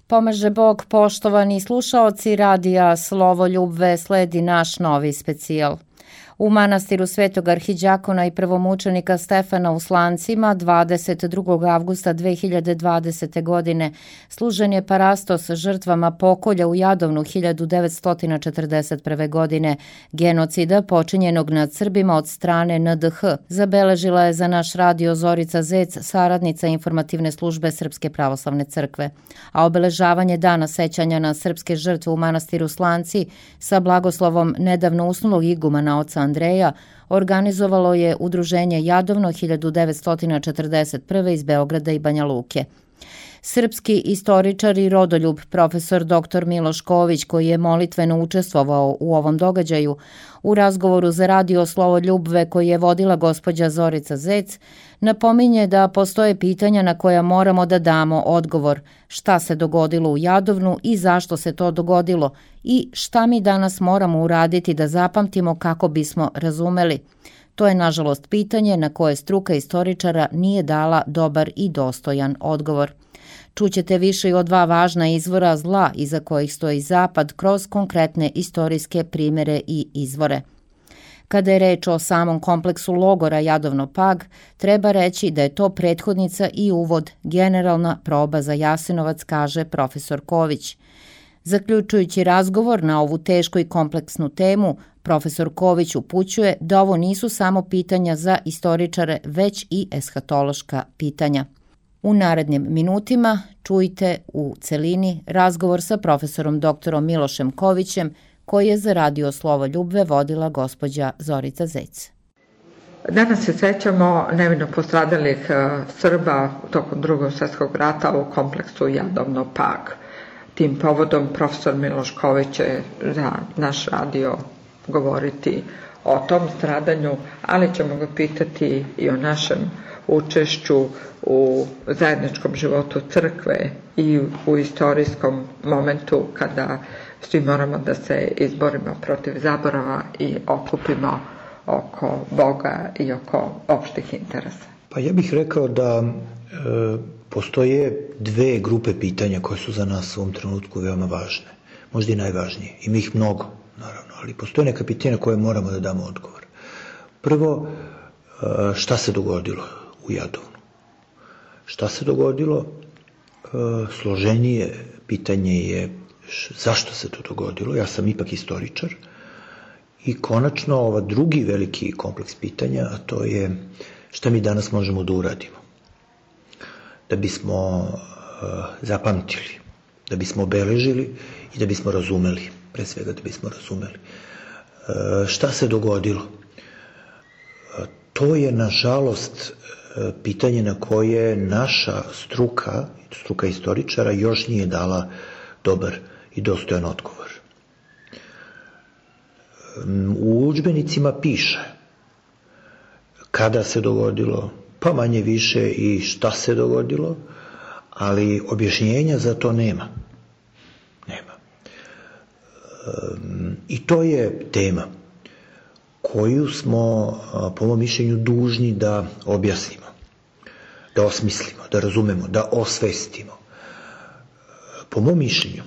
Pomaže Bog, poštovani slušaoci radija Slovoljubve, sledi naš novi specijal. U manastiru Svetog arhidjakona i prvomučenika Stefana u Slancima 22. avgusta 2020. godine služen je parastos žrtvama pokolja u Jadovnu 1941. godine, genocida počinjenog nad Srbima od strane NDH, zabeležila je za naš radio Zorica Zec, saradnica informativne službe Srpske pravoslavne crkve. A obeležavanje dana sećanja na srpske žrtve u manastiru Slanci sa blagoslovom nedavno usnulog igumana oca Andreja organizovalo je Udruženje Jadovno 1941. iz Beograda i Banja Luke. Srpski istoričar i rodoljub profesor dr. Miloš Ković, koji je molitveno učestvovao u ovom događaju, u razgovoru za radio Slovoljubve koji je vodila gospođa Zorica Zec, napominje da postoje pitanja na koja moramo da damo odgovor, šta se dogodilo u Jadovnu i zašto se to dogodilo i šta mi danas moramo uraditi da zapamtimo kako bismo razumeli. To je, nažalost, pitanje na koje struka istoričara nije dala dobar i dostojan odgovor. Čućete više i o dva važna izvora zla iza kojih stoji Zapad kroz konkretne istorijske primjere i izvore. Kada je reč o samom kompleksu logora Jadovno-Pag, treba reći da je to prethodnica i uvod, generalna proba za Jasenovac, kaže profesor Ković. Zaključujući razgovor na ovu tešku i kompleksnu temu, profesor Ković upućuje da ovo nisu samo pitanja za istoričare, već i eshatološka pitanja. U narednim minutima čujte u celini razgovor sa profesorom doktorom Milošem Kovićem, koji je za radio Slovoljubve vodila gospođa Zorica Zec. Danas se sećamo nevino postradalih Srba tokom Drugog svjetskog rata u kompleksu Jadovno-Pag. Tim povodom profesor Miloš Ković će za naš radio govoriti o tom stradanju, ali ćemo ga pitati i o našem učešću u zajedničkom životu crkve i u istorijskom momentu kada svi moramo da se izborimo protiv zaborava i okupimo oko Boga i oko opštih interesa. Pa ja bih rekao da postoje dve grupe pitanja koje su za nas u ovom trenutku veoma važne, možda i najvažnije. Ima ih mnogo, naravno, ali postoje neka pitanja na koje moramo da damo odgovor. Prvo, šta se dogodilo u Jadovnu? Šta se dogodilo? Složenije pitanje je zašto se to dogodilo. Ja sam ipak istoričar. I konačno, ova drugi veliki kompleks pitanja, a to je šta mi danas možemo da uradimo da bismo zapamtili, da bismo obeležili i da bismo razumeli, pre svega da bismo razumeli. Šta se dogodilo? To je, nažalost, pitanje na koje naša struka istoričara još nije dala dobar i dostojan odgovor. U udžbenicima piše kada se dogodilo, pa manje više i šta se dogodilo, ali objašnjenja za to nema. I to je tema koju smo, po mom mišljenju, dužni da objasnimo, da osmislimo, da razumemo, da osvestimo. Po mom mišljenju,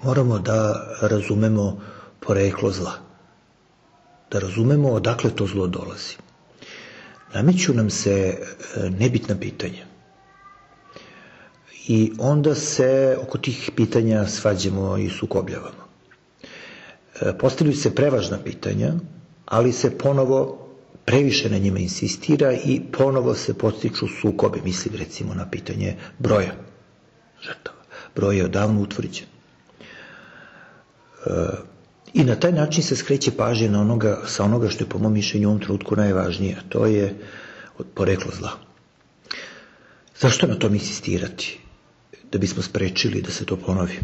moramo da razumemo poreklo zla, da razumemo odakle to zlo dolazi. Nameću nam se nebitna pitanja i onda se oko tih pitanja svađamo i sukobljavamo. Postavljaju se prevažna pitanja, ali se ponovo previše na njima insistira i ponovo se podstiču sukobe, mislim recimo na pitanje broja žrtava. Broj je odavno utvrđen. I na taj način se skreće pažnja sa onoga što je po mom mišljenju u ovom trenutku najvažnije, a to je poreklo zla. Zašto na tom insistirati? Da bismo sprečili da se to ponovi.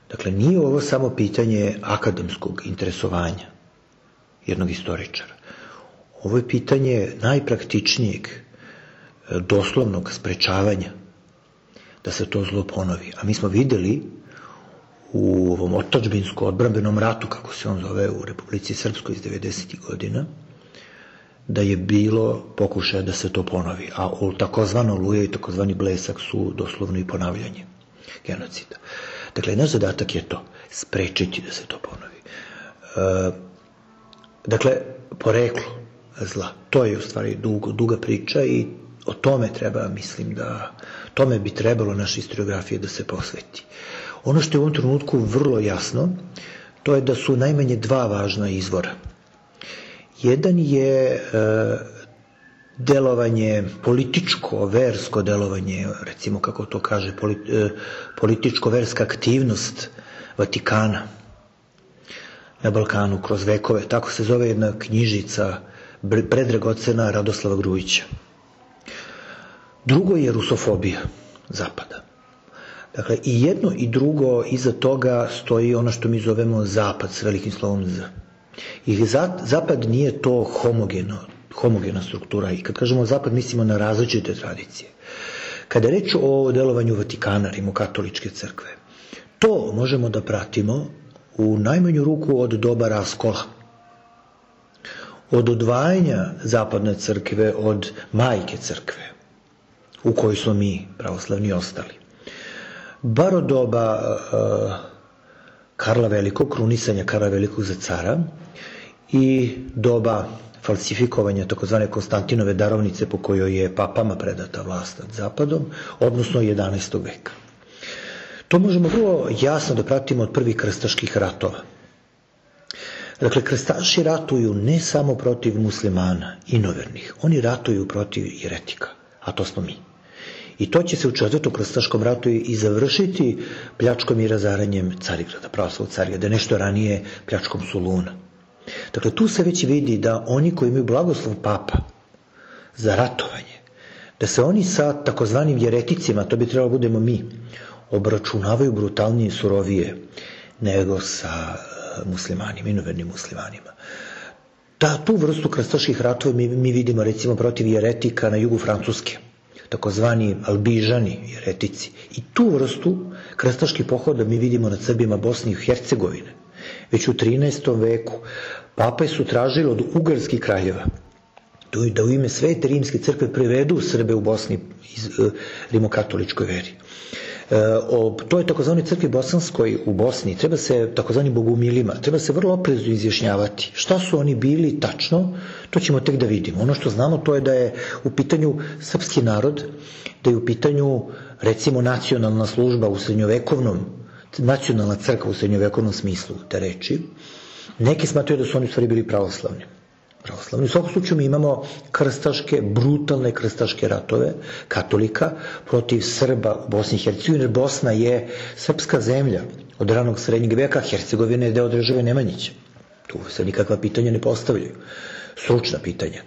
Dakle, nije ovo samo pitanje akademskog interesovanja jednog istoričara. Ovo je pitanje najpraktičnijeg, doslovnog sprečavanja da se to zlo ponovi. A mi smo videli u ovom otadžbinsko-odbrambenom ratu, kako se on zove u Republici Srpskoj iz 90. godina, da je bilo pokušaja da se to ponovi, a takozvano Oluja i takozvani Blesak su doslovno i ponavljanje genocida. Dakle, naš zadatak je to, sprečiti da se to ponovi. Dakle, poreklo zla, to je u stvari duga priča i o tome treba, mislim da, tome bi trebalo naša historiografija da se posveti. Ono što je u ovom trenutku vrlo jasno, to je da su najmanje dva važna izvora. Jedan je delovanje, političko, versko delovanje, recimo kako to kaže, političko-verska aktivnost Vatikana na Balkanu kroz vekove. Tako se zove jedna knjižica predragocena Radoslava Grujića. Drugo je rusofobija Zapada. Dakle, i jedno i drugo, iza toga stoji ono što mi zovemo Zapad s velikim slovom Z. I Zapad nije to homogena struktura. I kad kažemo Zapad, mislimo na različite tradicije. Kada je reč o delovanju Vatikana, rimokatoličke crkve, to možemo da pratimo u najmanju ruku od doba raskola. Od odvajanja zapadne crkve od majke crkve, u kojoj smo mi, pravoslavni, ostali. Bar od doba Karla Velikog, krunisanja Karla Velikog za cara i doba falsifikovanja takozvane Konstantinove darovnice po kojoj je papama predata vlast nad Zapadom, odnosno 11. veka. To možemo vrlo jasno da pratimo od prvih krstaških ratova. Dakle, krstaši ratuju ne samo protiv muslimana, inovernih, oni ratuju protiv jeretika, a to smo mi. I to će se u 4. krstaškom ratu i završiti pljačkom i razaranjem Carigrada, pravoslavnog Carigrada, nešto ranije pljačkom Soluna. Dakle, tu se već vidi da oni koji imaju blagoslov papa za ratovanje, da se oni sa takozvanim jereticima, to bi trebalo budemo mi, obračunavaju brutalnije i surovije nego sa muslimanima, inovernim muslimanima. Tu vrstu krstaških ratova mi vidimo recimo protiv jeretika na jugu Francuske, takozvani albižani jeretici. I tu vrstu krstaških pohoda mi vidimo nad Srbima Bosne i Hercegovine. Već u 13. veku pape su tražili od ugarskih kraljeva da u ime Svete rimske crkve privedu Srbe u Bosni rimokatoličkoj veri. To je takozvani crkvi bosanskoj u Bosni, treba se takozvani bogumilima, treba se vrlo oprezno izjašnjavati. Šta su oni bili tačno, to ćemo tek da vidimo. Ono što znamo to je da je u pitanju srpski narod, da je u pitanju recimo nacionalna služba u srednjovekovnom, nacionalna crkva u srednjovekovnom smislu te reči. Neki smatraju da su oni u stvari bili pravoslavni. U svakom slučaju mi imamo krstaške, brutalne krstaške ratove katolika protiv Srba u Bosni i Hercegovini, jer Bosna je srpska zemlja od ranog srednjeg veka, Hercegovina je deo države Nemanjića. Tu se nikakva pitanja ne postavljaju. Stručna pitanja.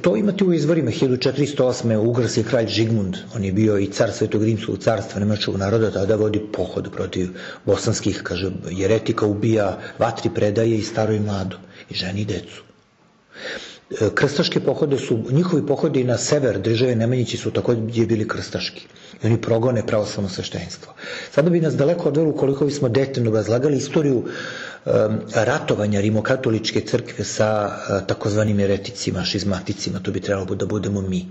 To imate u izvorima 1408. ugarski kralj Žigmund, on je bio i car Svetog rimskog carstva nemačkog naroda, tada vodi pohod protiv bosanskih, kaže, jeretika, ubija, vatri predaje i staro i mlado, i ženi i decu. Krstaške pohode su, njihovi pohodi na sever države Nemanjići su takođe bili krstaški. I oni progone pravoslavno sveštenstvo. Sada bi nas daleko odvelo ukoliko bismo detaljno razlagali istoriju ratovanja rimokatoličke crkve sa takozvanim jereticima, šizmaticima, to bi trebalo da budemo mi.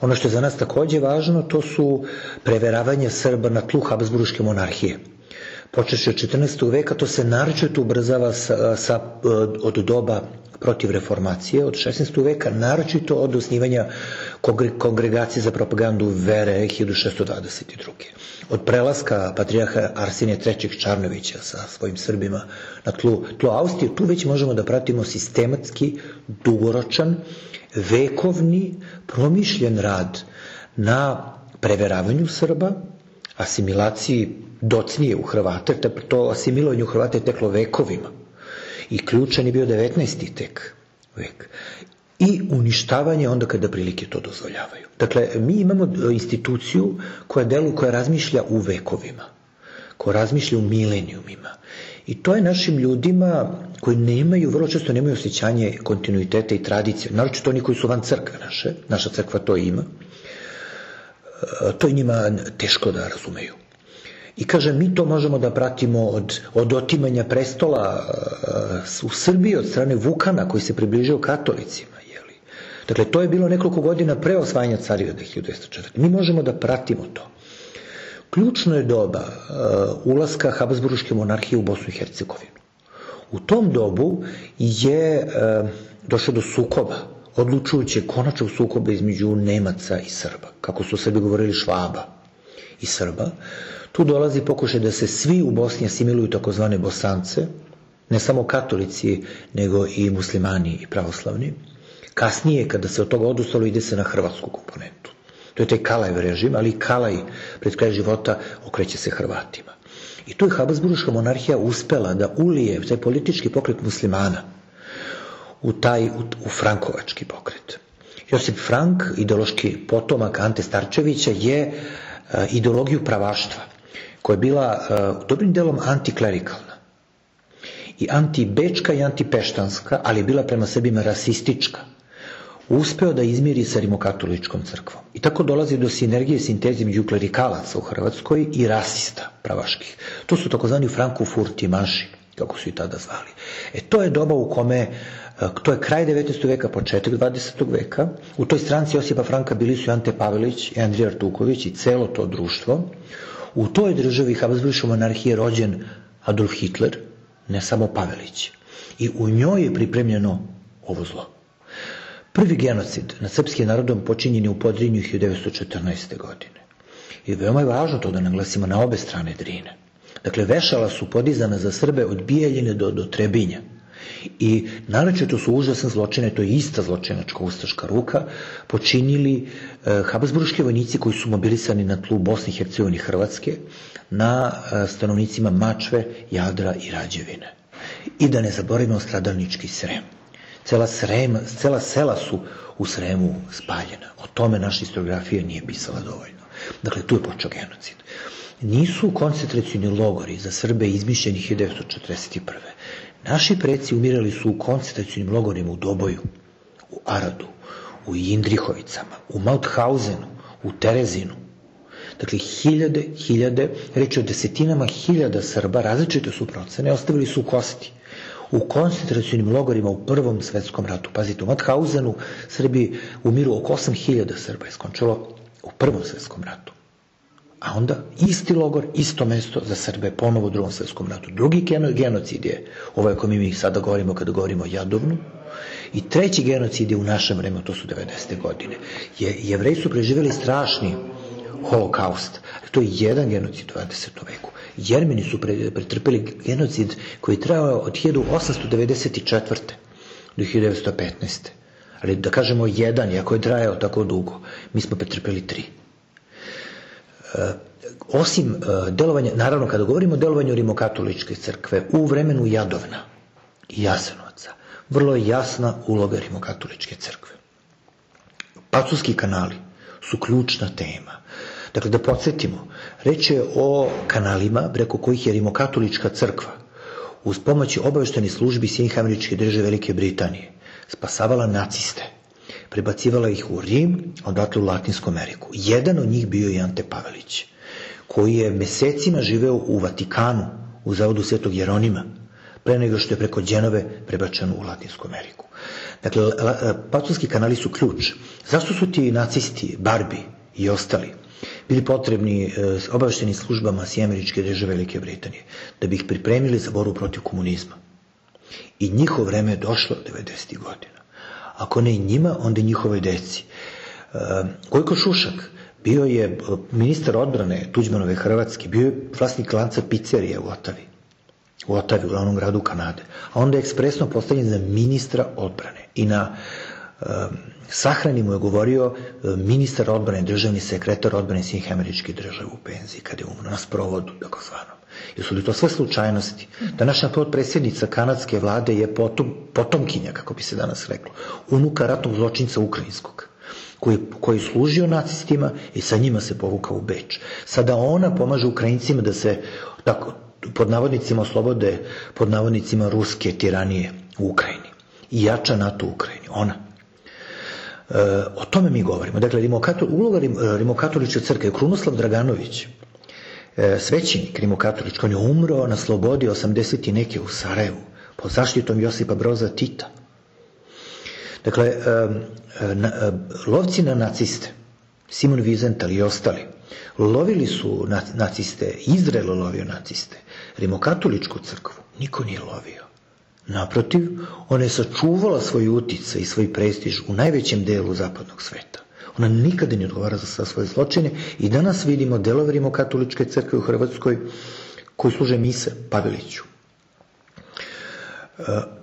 Ono što je za nas takođe važno, to su preveravanja Srba na tlu Habsburške monarhije. Počeši od 14. veka, to se naročito ubrzava od doba protiv reformacije, od 16. veka, naročito od osnivanja Kongregacije za propagandu vere 1622. Od prelaska patrijarha Arsenija III. Čarnovića sa svojim Srbima na tlo Austrije, tu već možemo da pratimo sistematski, dugoročan, vekovni, promišljen rad na preveravanju Srba, asimilaciji docnije u Hrvate, to asimilovanje u Hrvate je teklo vekovima. I ključan je bio 19. vek. I uništavanje onda kada prilike to dozvoljavaju. Dakle, mi imamo instituciju koja deluje, koja razmišlja u vekovima, koja razmišlja u milenijumima. I to je našim ljudima koji nemaju, vrlo često nemaju osjećanje kontinuiteta i tradicije, naročito oni koji su van crkve naše, naša crkva to ima, to je njima teško da razumeju. I kaže, mi to možemo da pratimo od otimanja prestola u Srbiji od strane Vukana koji se približio katolicima. Dakle, to je bilo nekoliko godina pre osvajanja Carigrada 1204. Mi možemo da pratimo to. Ključno je doba ulaska Habsburške monarhije u Bosnu i Hercegovinu. U tom dobu je došlo do sukoba, odlučujuće konačnog sukoba između Nemaca i Srba, kako su Srbi govorili Švaba i Srba. Tu dolazi pokušaj da se svi u Bosni asimiluju takozvane Bosance, ne samo katolici, nego i muslimani i pravoslavni. Kasnije, kada se od toga odustalo, ide se na hrvatsku komponentu. To je taj Kalajev režim, ali i Kalaj pred kraj života okreće se Hrvatima. I tu je Habsburška monarhija uspela da ulije taj politički pokret muslimana u frankovački pokret. Josip Frank, ideološki potomak Ante Starčevića, je ideologiju pravaštva, koja je bila dobrim delom antiklerikalna i antibečka i antipeštanska, ali je bila prema Srbima rasistička, uspeo da izmiri sa rimokatoličkom crkvom. I tako dolazi do sinergije sinteze među klerikalaca u Hrvatskoj i rasista pravaških. To su takozvani frankofurtimaši, kako su i tada zvali. To je doba u kome, to je kraj 19. veka, početak 20. veka. U toj stranci Josipa Franka bili su Ante Pavelić i Andrija Artuković i celo to društvo. U toj državi Habsburške monarhije rođen Adolf Hitler, ne samo Pavelić. I u njoj je pripremljeno ovo zlo. Prvi genocid nad srpskim narodom počinjen je u Podrinju 1914. godine. I veoma je važno to da naglasimo na obe strane Drine. Dakle, vešala su podizana za Srbe od Bijeljine do Trebinja. I naročito su užasne zločine, to je ista zločinačka ustaška ruka, počinili habsburški vojnici koji su mobilisani na tlu Bosne i Hercegovine i Hrvatske, na stanovnicima Mačve, Jadra i Rađevine. I da ne zaboravimo stradalnički Srem. Cela sela su u Sremu spaljena. O tome naša historiografija nije pisala dovoljno. Dakle, tu je počeo genocid. Nisu koncentracioni logori za Srbe izmišljeni 1941. Naši preci umirali su u koncentracionim logorima u Doboju, u Aradu, u Indrihovicama, u Mauthausenu, u Terezinu. Dakle, hiljade, reći o desetinama hiljada Srba, različite su procene, ostavili su kosti u koncentracionim logorima u Prvom svetskom ratu. Pazite, u Mauthausenu Srbi umiru oko 8.000 Srba je skončalo u Prvom svetskom ratu. A onda isti logor, isto mesto za Srbe ponovo u Drugom svetskom ratu. Drugi genocid je ovaj o kojem mi sada govorimo kada govorimo o Jadovnu. I treći genocid je u našem vremenu, to su 90. godine. Jevreji su preživjeli strašni holokaust. To je jedan genocid u 20. veku. Jermeni su pretrpeli genocid koji je trajao od 1894. do 1915. Ali da kažemo jedan, iako je trajao tako dugo, mi smo pretrpeli 3. Osim delovanja, naravno kada govorimo o delovanju rimokatoličke crkve u vremenu Jadovna i Jasenovca, vrlo je jasna uloga rimokatoličke crkve. Pacovski kanali su ključna tema. Dakle, da podsjetimo, reč je o kanalima preko kojih je rimokatolička crkva uz pomoć obaveštajnih službi Sjedinjenih Američkih Država Velike Britanije spasavala naciste, prebacivala ih u Rim, a odatle u Latinsku Ameriku. Jedan od njih bio je Ante Pavelić, koji je mesecima živeo u Vatikanu, u zavodu Svetog Jeronima, pre nego što je preko Đenove prebačen u Latinsku Ameriku. Dakle, pacovski kanali su ključ. Zašto su ti nacisti, Barbi i ostali bili potrebni obaveštenim službama Sjedinjenih Američkih Država Velike Britanije? Da bi ih pripremili za borbu protiv komunizma. I njihovo vreme je došlo 90. godina. Ako ne i njima, onda i njihovoj deci. Gojko Šušak bio je ministar odbrane Tuđmanove Hrvatske, bio je vlasnik lanca pizzerije u Otavi, u glavnom gradu Kanade. A onda je ekspresno postavljen za ministra odbrane. I na sahrani mu je govorio ministar odbrane, državni sekretar odbrane Sjedinjenih Američkih Država u penziji, kada je umro, na sprovodu, takozvanom. Jesu li to sve slučajnosti? Današnja potpredsjednica kanadske vlade je potomkinja, kako bi se danas reklo, unuka ratnog zločinca ukrajinskog, koji je služio nacistima i sa njima se povukao u Beč. Sada ona pomaže Ukrajincima da se, tako, pod navodnicima oslobode, pod navodnicima ruske tiranije u Ukrajini. I jača NATO u Ukrajini. Ona. O tome mi govorimo. Dakle, uloga rimokatoličke crkve, Krunoslav Draganović, svećenik rimokatolički, on je umro na slobodi 80 i neke u Sarajevu, pod zaštitom Josipa Broza Tita. Dakle, lovci na naciste, Simon Wiesenthal i ostali, lovili su naciste, Izrael lovio naciste, rimokatoličku crkvu niko nije lovio. Naprotiv, ona je sačuvala svoj uticaj i svoj prestiž u najvećem delu zapadnog sveta. Ona nikada ne odgovara za svoje zločine i danas vidimo delove rimokatoličke crkve u Hrvatskoj koji služe mise Paveliću.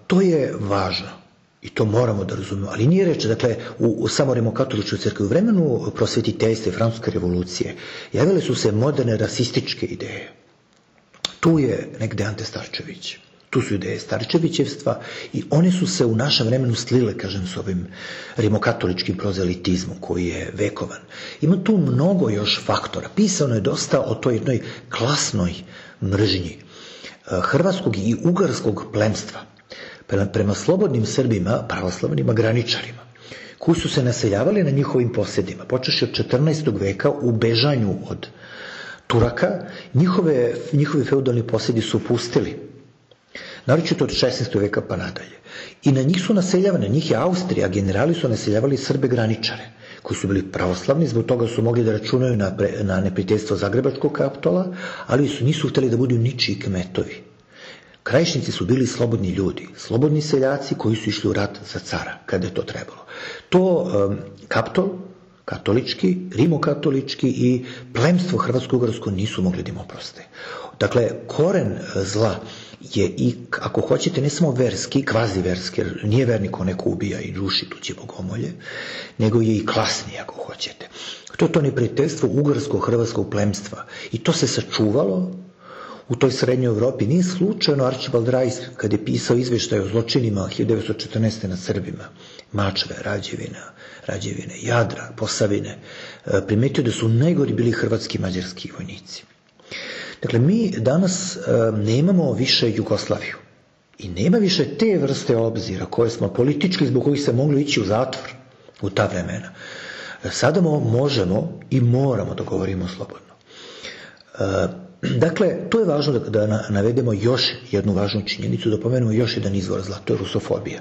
To je važno i to moramo da razumemo, ali nije reč, dakle, u samo rimokatoličkoj crkvi, u vremenu prosvetiteljstva i Francuske revolucije javile su se moderne rasističke ideje. Tu je negde Ante Starčević. Tu su ideje Starčevićevstva i one su se u našem vremenu slile, kažem, s ovim rimokatoličkim prozelitizmom koji je vekovan. Ima tu mnogo još faktora. Pisano je dosta o toj jednoj klasnoj mržnji hrvatskog i ugarskog plemstva prema slobodnim Srbima, pravoslavnim graničarima, koji su se naseljavali na njihovim posedima. Počeši od 14. veka u bežanju od Turaka, njihovi feudalni posedi su pustili. Naročito od 16. veka pa nadalje. I na njih su naseljavane, njih je Austrija, generali su naseljavali Srbe graničare, koji su bili pravoslavni, zbog toga su mogli da računaju na neprijateljstvo Zagrebačkog kapitola, ali nisu hteli da budu ničiji kmetovi. Krajišnici su bili slobodni ljudi, slobodni seljaci koji su išli u rat za cara, kada je to trebalo. To kapitol, katolički, rimokatolički i plemstvo hrvatsko-ugarsko nisu mogli da im oproste. Dakle, koren zla je i, ako hoćete, ne samo verski, kvazi verski, jer nije vernik ko neko ubija i ruši tuđe bogomolje, nego je i klasni, ako hoćete. To je to neprijateljstvo ugarsko-hrvatskog plemstva. I to se sačuvalo u toj srednjoj Evropi. Nije slučajno Archibald Rice, kad je pisao izveštaj o zločinima 1914. nad Srbima, Mačve, Rađevine, Jadra, Posavine, primetio da su najgori bili hrvatski i mađarski vojnici. Dakle, mi danas nemamo više Jugoslaviju i nema više te vrste obzira koje smo politički, zbog kojih se mogli ići u zatvor u ta vremena. Sada možemo i moramo da govorimo slobodno. Dakle, to je važno da navedemo još jednu važnu činjenicu, da pomenemo još jedan izvor zla, to je rusofobija.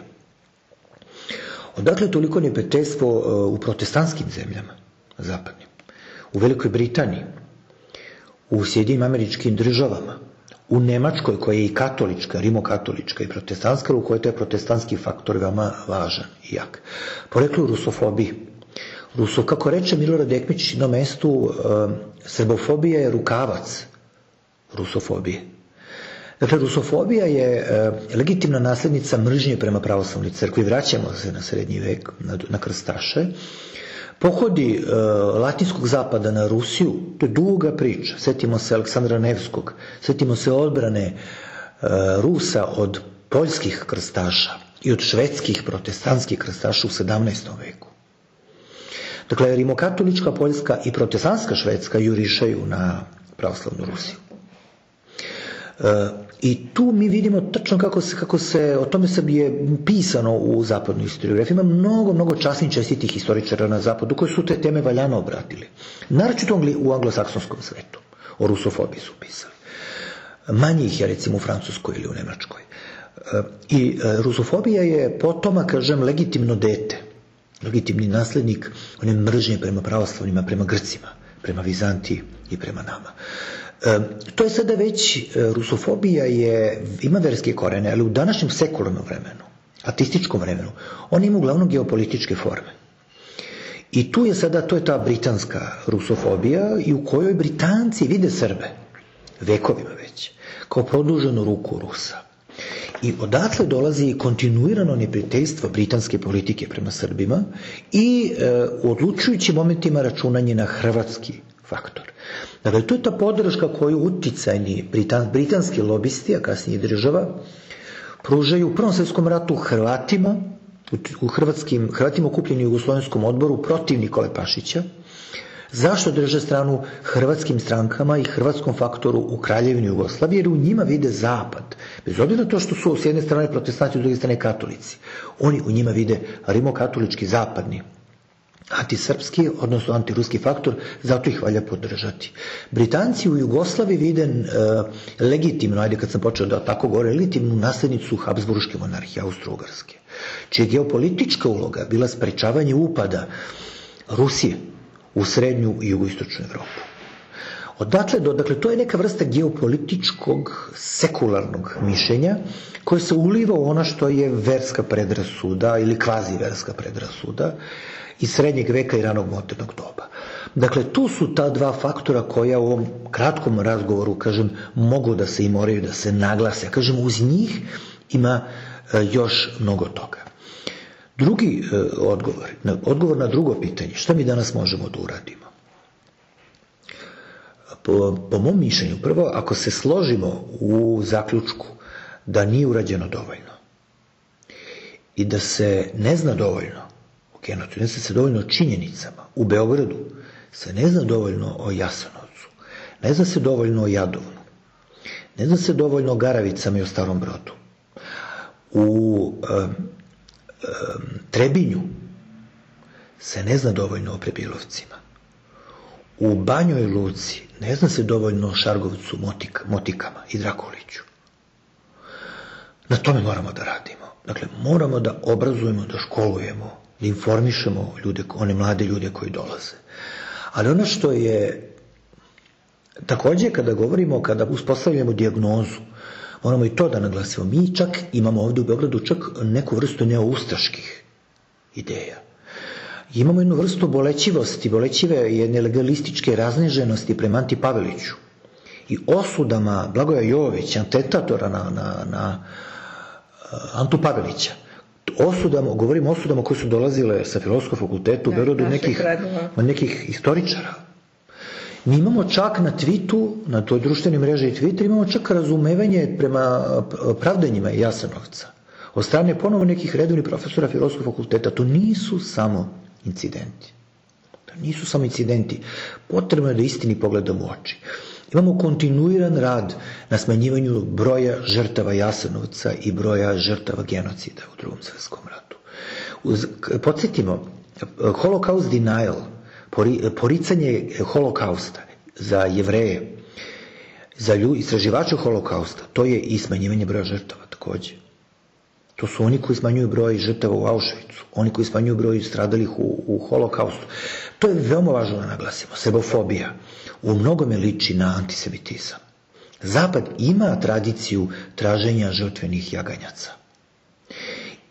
Odakle toliko neprijateljstvo u protestantskim zemljama, zapadnim, u Velikoj Britaniji, u Sjedinim Američkim Državama, u Nemačkoj koja je i katolička, rimokatolička i protestantska, u kojoj je taj protestantski faktor veoma važan i jak. Poreklo u rusofobiji. Kako reče Milorad Ekmić na mestu, srbofobija je rukavac rusofobije. Dakle, rusofobija je legitimna naslednica mržnje prema pravoslavnoj crkvi. Vraćamo se na srednji vek, na krstaše. Pohodi latinskog zapada na Rusiju, to je duga priča. Setimo se Aleksandra Nevskog, setimo se odbrane Rusa od poljskih krstaša i od švedskih protestantskih krstaša u 17. veku. Dakle, rimokatolička Poljska i protestantska Švedska jurišaju na pravoslavnu Rusiju. I tu mi vidimo tačno kako se, o tome se je pisano u zapadnoj historiografiji. Ima mnogo časnih čestitih historičara na zapadu koji su te teme valjano obratili. Naročito u anglosaksonskom svetu. O rusofobiji su pisali. Manje ih je, recimo, u Francuskoj ili u Nemačkoj. I rusofobija je potoma, kažem, legitimno dete. Legitimni naslednik one mržnje prema pravoslavnima, prema Grcima, prema Vizantiji i prema nama. To je sada već, rusofobija ima verske korene, ali u današnjem sekularnom vremenu, ateističkom vremenu, ona ima uglavnom geopolitičke forme. I tu je sada, to je ta britanska rusofobija i u kojoj Britanci vide Srbe, vekovima već, kao produženu ruku Rusa. I odatle dolazi kontinuirano neprijateljstvo britanske politike prema Srbima i u odlučujućim momentima računanje na hrvatski faktor. Dakle, to je ta podrška koju uticajni britanski lobisti, a kasnije država, pružaju u Prvom svjetskom ratu Hrvatima, Hrvatima okupljeni u Jugoslovenskom odboru protiv Nikole Pašića. Zašto drže stranu hrvatskim strankama i hrvatskom faktoru u Kraljevini Jugoslavije? Jer u njima vide zapad. Bez obzira na to što su s jedne strane protestanti, s druge strane katolici. Oni u njima vide rimokatolički zapadni antisrpski, odnosno antiruski faktor, zato ih valja podržati. Britanci u Jugoslaviji vide legitimno, ajde kad sam počeo da tako govore, legitimnu naslednicu Habsburške monarhije, Austro-Ugarske, čija je geopolitička uloga bila sprečavanje upada Rusije u srednju i jugoistočnu Evropu. Dakle, to je neka vrsta geopolitičkog, sekularnog mišljenja koje se uliva u ono što je verska predrasuda ili kvazi verska predrasuda iz srednjeg veka i ranog modernog doba. Dakle, tu su ta dva faktora koja u ovom kratkom razgovoru, kažem, mogu da se i moraju da se naglase. Kažem, uz njih ima još mnogo toga. Drugi odgovor na drugo pitanje, šta mi danas možemo da uradimo? Po mom mišljenju, prvo, ako se složimo u zaključku da nije urađeno dovoljno i da se ne zna dovoljno o genocidu, ne zna se dovoljno o činjenicama, u Beogradu se ne zna dovoljno o Jasenovcu, ne zna se dovoljno o Jadovnu, ne zna se dovoljno o Garavicama i o Starom Brodu, u Trebinju se ne zna dovoljno o Prebilovcima, u Banjoj Luci ne zna se dovoljno o Šargovcu, Motikama i Drakoliću. Na tome moramo da radimo. Dakle, moramo da obrazujemo, da školujemo, da informišemo ljude, one mlade ljude koji dolaze. Ali ono što je takođe kada uspostavljamo dijagnozu, moramo i to da naglasimo. Mi čak imamo ovde u Beogradu čak neku vrstu neoustaških ideja. Imamo jednu vrstu bolećive jedne legalističke razneženosti prema Anti Paveliću i osudama Blagoja Jovovića, atentatora na Antu Pavelića. Govorimo o osudama koje su dolazile sa Filozofskog fakulteta u Beogradu nekih istoričara. Mi imamo čak na Twitteru, na toj društvenoj mreži Twitter, imamo čak razumevanje prema pravdanjima Jasenovca od strane ponovo nekih redovnih profesora Filozofskog fakulteta. To nisu samo incidenti. Potrebno je da istini pogledamo u oči. Imamo kontinuiran rad na smanjivanju broja žrtava Jasenovca i broja žrtava genocida u Drugom svetskom ratu. Podsjetimo, Holocaust denial, poricanje holokausta za Jevreje, za istraživače holokausta, to je i smanjivanje broja žrtava takođe. To su oni koji smanjuju broj žrtava u Auschwitzu, oni koji smanjuju broj stradalih u holokaustu. To je veoma važno da naglasimo. Sebofobija u mnogome liči na antisemitizam. Zapad ima tradiciju traženja žrtvenih jaganjaca.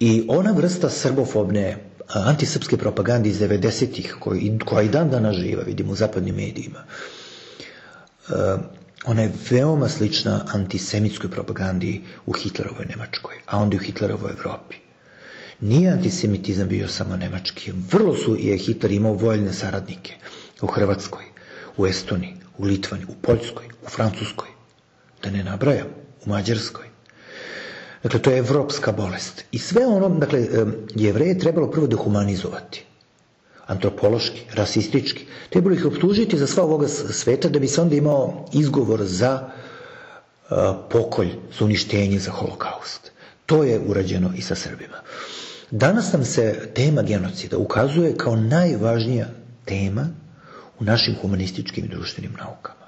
I ona vrsta srbofobne antisrpske propagande iz 90-ih, koja i dan danas živa, vidimo u zapadnim medijima, ona je veoma slična antisemitskoj propagandi u Hitlerovoj Nemačkoj, a onda i u Hitlerovoj Evropi. Nije antisemitizam bio samo nemački. Vrlo je Hitler imao voljne saradnike u Hrvatskoj, u Estoniji, u Litvani, u Poljskoj, u Francuskoj, da ne nabrajam, u Mađarskoj. Dakle, to je evropska bolest. I sve ono, dakle, Jevreje je trebalo prvo dehumanizovati. Antropološki, rasistički. Trebalo ih optužiti za sva ovoga sveta da bi se onda imao izgovor za pokolj, za uništenje, za holokaust. To je urađeno i sa Srbima. Danas nam se tema genocida ukazuje kao najvažnija tema u našim humanističkim i društvenim naukama.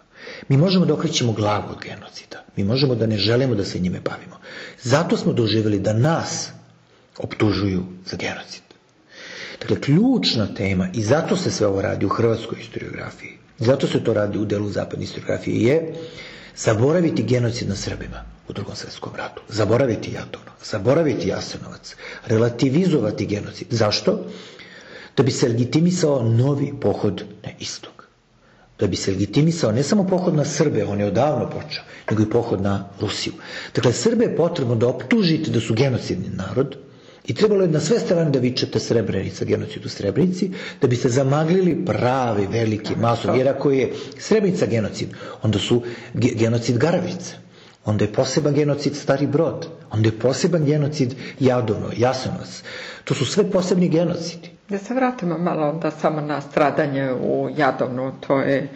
Mi možemo da okrećemo glavu od genocida. Mi možemo da ne želimo da se njime bavimo. Zato smo doživjeli da nas optužuju za genocid. Dakle, ključna tema, i zato se sve ovo radi u hrvatskoj historiografiji, zato se to radi u delu zapadne historiografije, je zaboraviti genocid na Srbima u Drugom svetskom ratu, zaboraviti Jadovno, zaboraviti Jasenovac, relativizovati genocid. Zašto? Da bi se legitimisao novi pohod na istok. Da bi se legitimisao ne samo pohod na Srbe, on je odavno počeo, nego i pohod na Rusiju. Dakle, Srbe je potrebno da optužite da su genocidni narod i trebalo je na sve strane da vičete Srebrenica, genocid u Srebrenici, da bi se zamaglili pravi, veliki, masovni, jer ako je Srebrenica genocid, onda su genocid Garavice, onda je poseban genocid Stari Brod, onda je poseban genocid Jadovno, Jasenovac. To su sve posebni genocidi. Da se vratimo malo onda samo na stradanje u Jadovnu, to je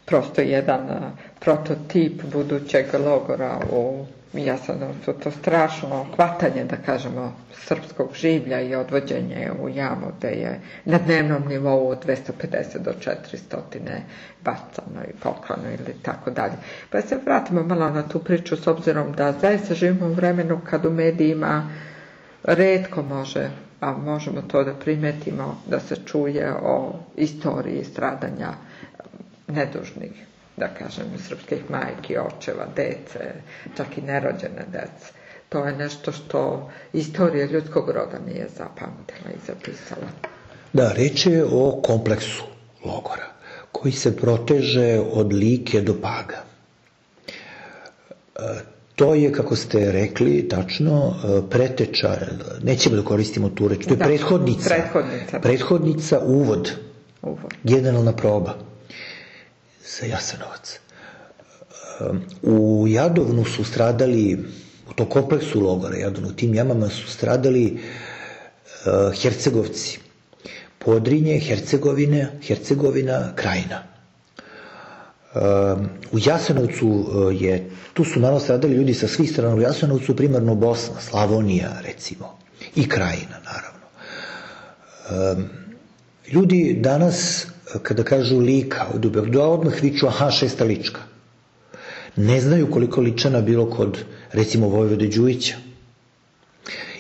prosto jedan prototip budućeg logora u Jasenovcu, to strašno hvatanje, da kažemo, srpskog življa i odvođenje u jamu, gde je na dnevnom nivou od 250 do 400 bacano i poklano ili tako dalje. Pa se vratimo malo na tu priču, s obzirom da zaista živimo u vremenu kad u medijima retko može, a možemo to da primetimo, da se čuje o istoriji stradanja nedužnih, da kažem, srpskih majki, očeva, dece, čak i nerođene dece. To je nešto što istorija ljudskog roda nije zapamtila i zapisala. Da, reč je o kompleksu logora, koji se proteže od Like do Paga. To je, kako ste rekli, tačno, preteča, nećemo da koristimo tu reč, to je prethodnica, uvod, generalna proba za Jasenovac. U Jadovnu su stradali, u tom kompleksu logora Jadovnu, u tim jamama su stradali Hercegovci, Podrinje, Hercegovina, Krajina. U Jasenovcu tu su naravno stradali ljudi sa svih strana, u Jasenovcu primarno Bosna, Slavonija recimo i Krajina naravno. Ljudi danas kada kažu Lika, odmah viču aha, 6. Lička. Ne znaju koliko Ličana bilo kod recimo Vojvode Đujića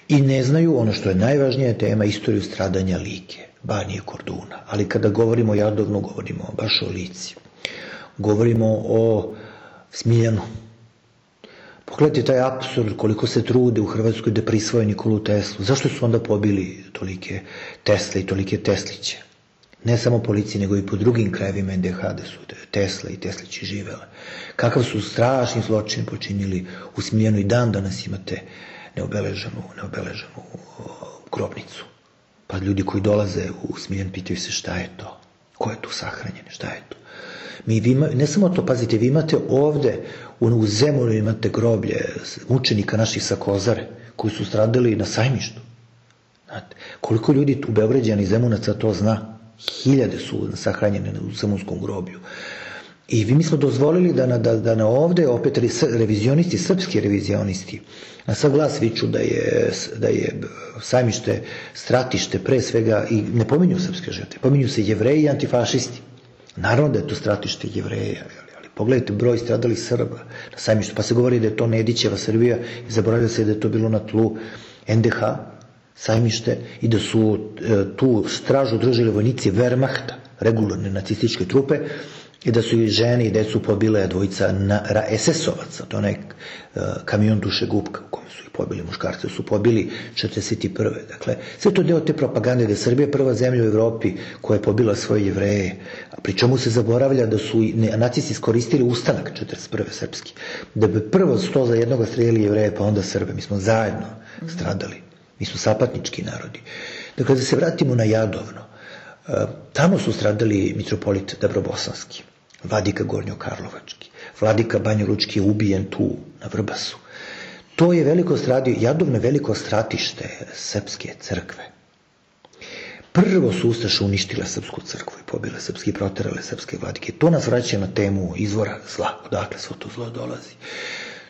i ne znaju ono što je najvažnija tema, istoriju stradanja Like, Banije, Korduna, ali kada govorimo o Jadovnu govorimo baš o Lici. Govorimo o Smiljanu. Pogledajte taj apsurd koliko se trude u Hrvatskoj da prisvoje Nikolu Teslu. Zašto su onda pobili tolike Tesle i tolike Tesliće? Ne samo policiji, nego i po drugim krajevima NDH da su Tesla i Teslići živele. Kakav su strašni zločin počinili u Smiljanu i dan danas imate neobeleženu grobnicu. Pa ljudi koji dolaze u Smiljan pitaju se šta je to? Ko je tu sahranjen? Šta je to? Ne samo to, pazite, vi imate ovde u Zemunu imate groblje mučenika naših sa Kozare koji su stradali na Sajmištu. Znate, koliko ljudi tu Beograđana i Zemunaca to zna? 1000 su sahranjene u Zemunskom groblju. I mi smo dozvolili da na ovde opet revizionisti, srpski revizionisti, na sav glas viču da je Sajmište stratište pre svega, i ne pominju srpske žrtve, pominju se Jevreji i antifašisti. Naravno da je to stratište Jevreja, ali pogledajte broj stradalih Srba na Sajmištu, pa se govori da je to Nedićeva Srbija i zaboravlja se da je to bilo na tlu NDH, Sajmište, i da su tu stražu držali vojnici Wehrmachta, regularne nacističke trupe, i da su i žene i decu pobile dvojica SS-ovaca, to je onaj kamion dušegupka u kome su ih pobili, muškarce su pobili 41. Dakle, sve to deo te propagande da je Srbija prva zemlja u Evropi koja je pobila svoje Jevreje, pri čemu se zaboravlja da su nacisti iskoristili ustanak 41. srpski, da bi prvo 100 za jednoga streljali Jevreje, pa onda Srbe. Mi smo zajedno stradali, mi smo sapatnički narodi. Dakle, da se vratimo na Jadovno, tamo su stradali mitropolit Dabrobosanski, vladika Gornjokarlovački, vladika Banjalučki je ubijen tu na Vrbasu. To je Jadovno veliko stratište srpske crkve. Prvo su ustaše uništile srpsku crkvu i pobile srpske i proterale srpske vladike. To nas vraća na temu izvora zla, odakle svo to zlo dolazi.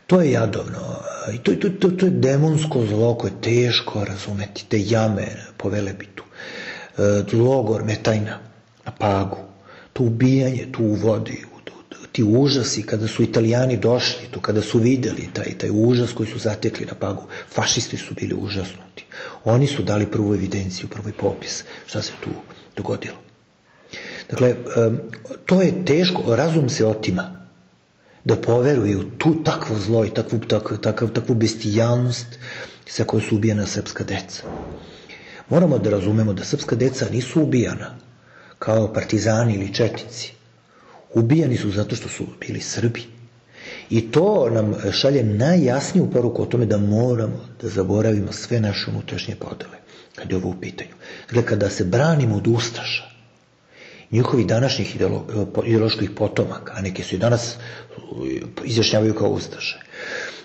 To je Jadovno, i to je demonsko zlo koje je teško razumeti, te jame po Velebitu, logor Metajna na Pagu, to ubijanje tu u vodi, ti užasi kada su Italijani došli tu, kada su videli taj užas koji su zatekli na Pagu, fašisti su bili užasnuti. Oni su dali prvu evidenciju, prvi popis šta se tu dogodilo. Dakle, to je teško, razum se otima da poveruju tu takvo zlo i takvu bestijalnost sa kojoj su ubijena srpska deca. Moramo da razumemo da srpska deca nisu ubijana kao partizani ili četnici. Ubijani su zato što su bili Srbi. I to nam šalje najjasniju poruku o tome da moramo da zaboravimo sve naše unutrašnje podele, kad je ovo u pitanju. Dakle, kada se branimo od ustaša, njihovih današnjih ideoloških potomaka, a neki su i danas izjašnjavaju kao ustaše,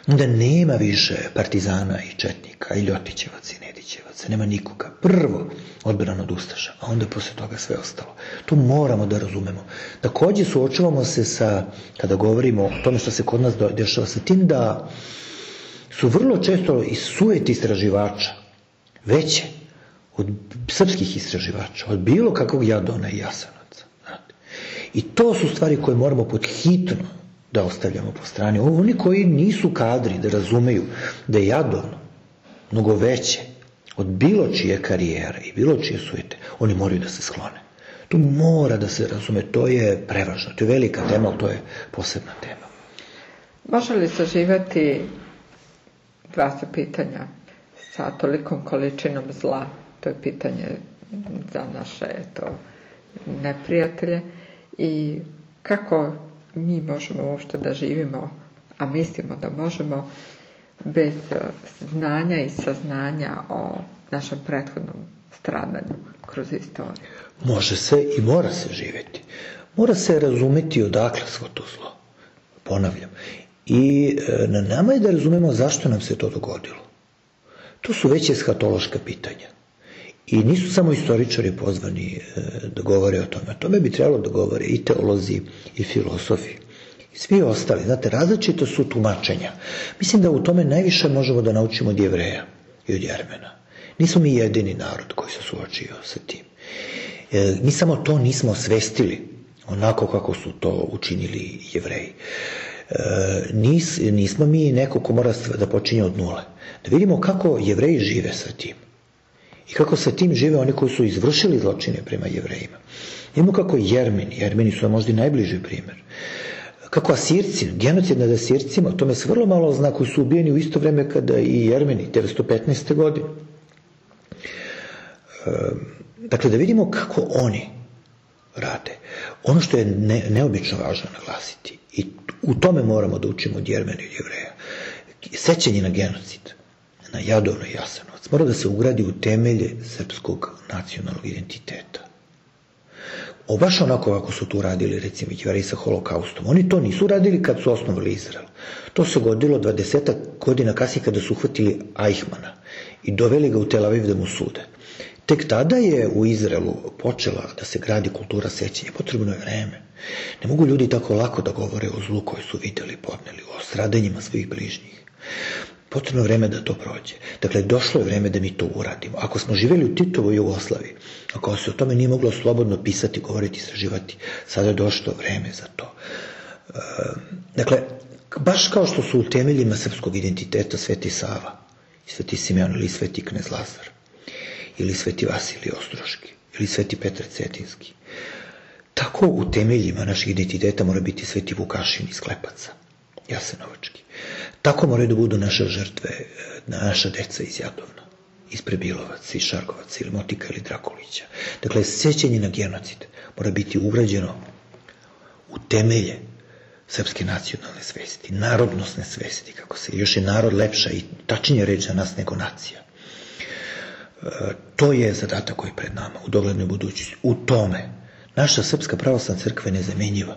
onda nema više partizana i četnika, i Ljotićevaca i Nedićevaca, nema nikoga. Prvo odbrana od ustaša, a onda posle toga sve ostalo. To moramo da razumemo. Takođe suočavamo se sa, kada govorimo o tome što se kod nas dešava, sa tim da su vrlo često iz sujeti istraživača veće od srpskih istraživača, od bilo kakvog Jadovna i Jasenovca. I to su stvari koje moramo pod hitno da ostavljamo po strani. Oni koji nisu kadri da razumeju da je Jadovno mnogo veće od bilo čije karijere i bilo čije sujete, oni moraju da se sklone. To mora da se razume, to je prevažno, to je velika tema, ali to je posebna tema. Može li saživati, dva su pitanja, sa tolikom količinom zla? To je pitanje za naše neprijatelje. I kako mi možemo uopšte da živimo, a mislimo da možemo, bez znanja i saznanja o našem prethodnom stradanju kroz istoriju? Može se i mora se živjeti. Mora se razumeti odakle svo to zlo. Ponavljam. I na nama je da razumemo zašto nam se to dogodilo. To su već eshatološka pitanja. I nisu samo istoričari pozvani da govore o tome. O tome bi trebalo da govore i teolozi i filosofi. I svi ostali. Znate, različito su tumačenja. Mislim da u tome najviše možemo da naučimo od Jevreja i od Jermena. Nismo mi jedini narod koji se suočio sa tim. Mi samo to nismo osvestili onako kako su to učinili Jevreji. Nismo mi neko ko mora da počinje od nule. Da vidimo kako Jevreji žive sa tim. I kako sa tim žive oni koji su izvršili zločine prema Jevrejima. Vidimo kako Jermeni su možda i najbliži primjer. Kako Asirci, genocid nad Asircima, o tome se vrlo malo zna, koji su ubijeni u isto vreme kada i Jermeni, 1915. godine. Dakle, da vidimo kako oni rade. Ono što je neobično važno naglasiti, i u tome moramo da učimo od Jermena i Jevreja, sećanje na genocid, na Jadovno i Jasenovac, mora da se ugradi u temelje srpskog nacionalnog identiteta. Baš onako kako su tu radili, recimo, Jevreji sa holokaustom. Oni to nisu radili kad su osnovali Izrael. To se godilo 20 godina kasnije kada su uhvatili Eichmana i doveli ga u Tel Aviv da mu sude. Tek tada je u Izraelu počela da se gradi kultura sećanja. Potrebno je vreme. Ne mogu ljudi tako lako da govore o zlu koje su videli, podneli, o stradanjima svojih bližnjih. Potrebno je vreme da to prođe. Dakle, došlo je vreme da mi to uradimo. Ako smo živjeli u Titovoj Jugoslaviji, ako se o tome nije moglo slobodno pisati, govoriti, istraživati, sada je došlo vreme za to. Dakle, baš kao što su u temeljima srpskog identiteta Sveti Sava, Sveti Simeon ili Sveti Knez Lazar, ili Sveti Vasilij Ostroški, ili Sveti Petar Cetinski, tako u temeljima našeg identiteta mora biti Sveti Vukašin iz Klepaca, Jasenovački. Tako moraju da budu naše žrtve, naša deca iz Jadovna, iz Prebilovaca, iz Šargovaca, ili Motika, ili Drakulića. Dakle, sećanje na genocid mora biti ugrađeno u temelje srpske nacionalne svesti, narodnosne svesti, kako se, još je narod lepša i tačnije reč za nas nego nacija. To je zadatak koji je pred nama u doglednoj budućnosti. U tome naša Srpska pravoslavna crkva je nezamenjiva,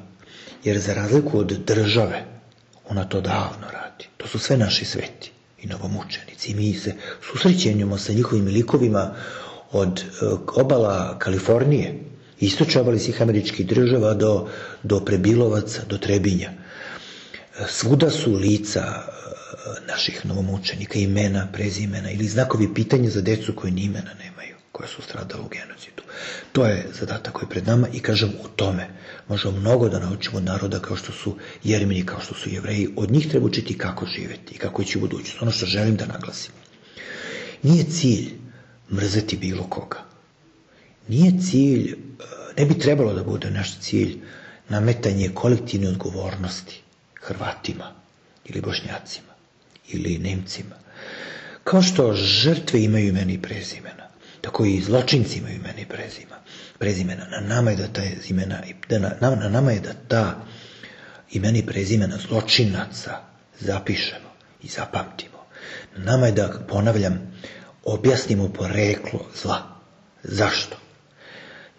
jer za razliku od države ona to davno radi. To su sve naši sveti i novomučenici. I mi se susrećenjamo sa njihovim likovima od obala Kalifornije, istočne obale svih američkih država do Prebilovaca, do Trebinja. Svuda su lica naših novomučenika, imena, prezimena ili znakovi pitanja za decu koje ni imena nemaju, koje su stradale u genocidu. To je zadatak koji je pred nama i kažem u tome možemo mnogo da naučimo od naroda kao što su Jermeni, kao što su Jevreji. Od njih treba učiti kako živeti i kako ići u budućnost. Ono što želim da naglasim. Nije cilj mrzeti bilo koga. Nije cilj, ne bi trebalo da bude naš cilj nametanje kolektivne odgovornosti Hrvatima ili Bošnjacima ili Nemcima. Kao što žrtve imaju imena i prezimena, tako i zločinci imaju imena i prezimena. Na nama je da ta imena i prezimena zločinaca zapišemo i zapamtimo. Na nama je da, ponavljam, objasnimo poreklo zla. Zašto?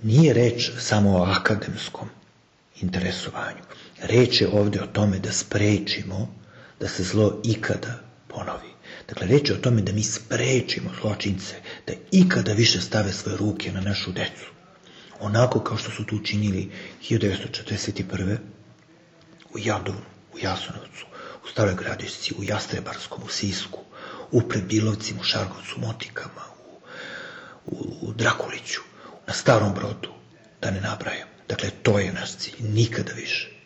Nije reč samo o akademskom interesovanju. Reč je ovdje o tome da sprečimo da se zlo ikada ponovi. Dakle, reč je o tome da mi sprečimo zločince da ikada više stave svoje ruke na našu decu. Onako kao što su to učinili 1941. u Jadovnu, u Jasenovcu, u u Staroj Gradišci, u Jastrebarskom, u Sisku, u Predbilovcima, u Šargovcu, Motikama, u Drakuliću, na Starom Brodu, da ne nabrajam. Dakle, to je naš cilj, nikada više.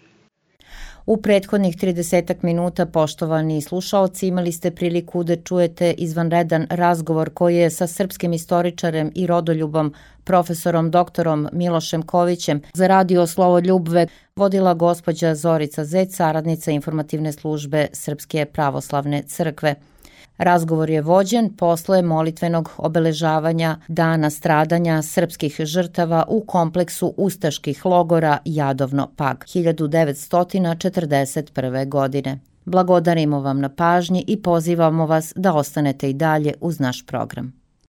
U prethodnih 30 minuta, poštovani slušaoci, imali ste priliku da čujete izvanredan razgovor koji je sa srpskim istoričarem i rodoljubom, profesorom doktorom Milošem Kovićem za radio Slovoljubve vodila gospođa Zorica Zec, saradnica informativne službe Srpske pravoslavne crkve. Razgovor je vođen posle molitvenog obeležavanja Dana stradanja srpskih žrtava u kompleksu ustaških logora Jadovno-Pag 1941. godine. Blagodarimo vam na pažnji i pozivamo vas da ostanete i dalje uz naš program.